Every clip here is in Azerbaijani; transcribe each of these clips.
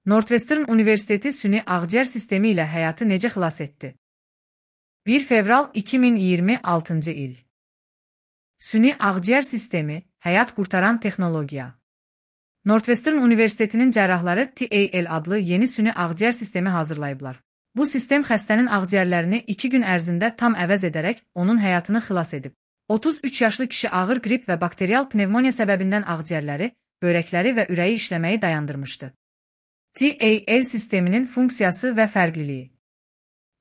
Northwestern Universiteti süni ağciyər sistemi ilə həyatı necə xilas etdi? 1 fevral 2026 il. Süni ağciyər sistemi, həyat qurtaran texnologiya. Northwestern Universitetinin cərrahları TAL adlı yeni süni ağciyər sistemi hazırlayıblar. Bu sistem xəstənin ağciyərlərini 2 gün ərzində tam əvəz edərək onun həyatını xilas edib. 33 yaşlı kişi ağır qrip və bakterial pnevmoniya səbəbindən ağciyərləri, börəkləri və ürəyi işləməyi dayandırmışdı. TAL sisteminin funksiyası və fərqliliyi.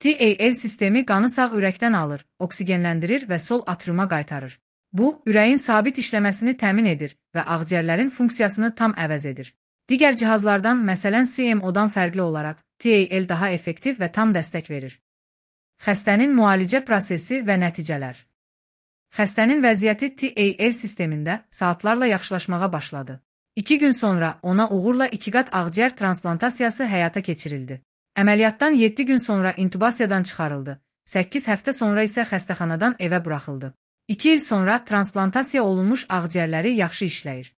TAL sistemi qanı sağ ürəkdən alır, oksigenləndirir və sol atriuma qaytarır. Bu, ürəyin sabit işləməsini təmin edir və ağciyərlərin funksiyasını tam əvəz edir. Digər cihazlardan, məsələn CMO-dan fərqli olaraq, TAL daha effektiv və tam dəstək verir. Xəstənin müalicə prosesi və nəticələr. Xəstənin vəziyyəti TAL sistemində saatlarla yaxşılaşmağa başladı. 2 gün sonra ona uğurla 2 qat ağciyər transplantasiya həyata keçirildi. Əməliyyatdan 7 gün sonra intubasiyadan çıxarıldı. 8 həftə sonra isə xəstəxanadan evə buraxıldı. 2 il sonra transplantasiya olunmuş ağciyərləri yaxşı işləyir.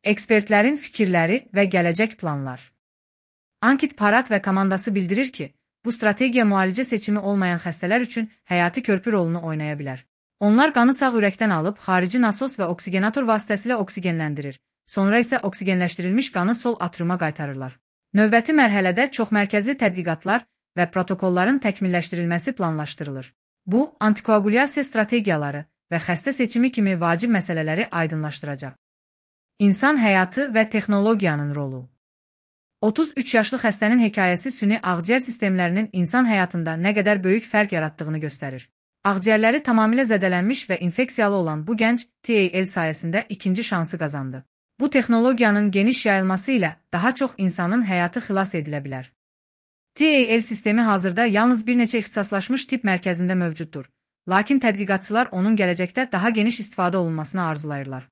Ekspertlərin fikirləri və gələcək planlar. Ankit Parat və komandası bildirir ki, bu strategiya müalicə seçimi olmayan xəstələr üçün həyati körpü rolunu oynaya bilər. Onlar qanı sağ ürəkdən alıb, xarici nasos və oksigenator vasitəsilə oksigenləndirir. Sonra isə oksigenləşdirilmiş qanı sol atriuma qaytarırlar. Növbəti mərhələdə çoxmərkəzli tədqiqatlar və protokolların təkmilləşdirilməsi planlaşdırılır. Bu, antikoagulyasiya strategiyaları və xəstə seçimi kimi vacib məsələləri aydınlaşdıracaq. İnsan həyatı və texnologiyanın rolu. 33 yaşlı xəstənin hekayəsi süni ağciyər sistemlərinin insan həyatında nə qədər böyük fərq yaratdığını göstərir. Ağciyərləri tamamilə zədələnmiş və infeksiyalı olan bu gənc TAL sayəsində ikinci şansı qazandı. Bu texnologiyanın geniş yayılması ilə daha çox insanın həyatı xilas edilə bilər. TAL sistemi hazırda yalnız bir neçə ixtisaslaşmış tibb mərkəzində mövcuddur, lakin tədqiqatçılar onun gələcəkdə daha geniş istifadə olunmasını arzulayırlar.